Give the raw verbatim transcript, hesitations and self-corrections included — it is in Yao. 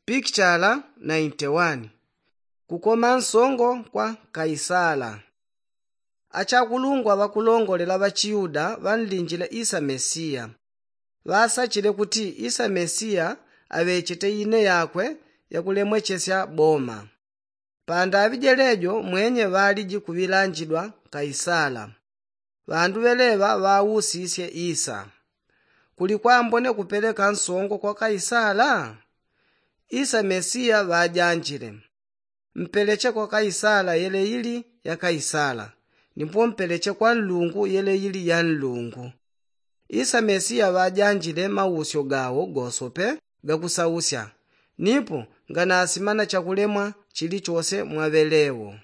Pikichala nainti wani. Kukoma nsongo kwa kaisala. Achakulungwa ŵakulongolela ŵachiyuda ŵanlinjile isa mesiya. Ŵasachile kuti isa mesiya aŵechete ine yakwe yakulemwechesya boma. Pandaŵi jelejo mwenye ŵaliji kuŵilanjidwa kaisala. Ŵandu ŵeleŵa ŵausisye isa, kuli kwambone kupeleka nsongo kwa kaisala? Isa mesiya ŵajanjile, mpeleche kwa kaisala yeleili ya kaisala, nipo mpeleche kwa nlungu yeleili ya nlungu. Isa mesiya ŵajanjile mausyo gawo gosope gakusausya, nipo nganasimana chakulemwa chilichose mwaŵelewo.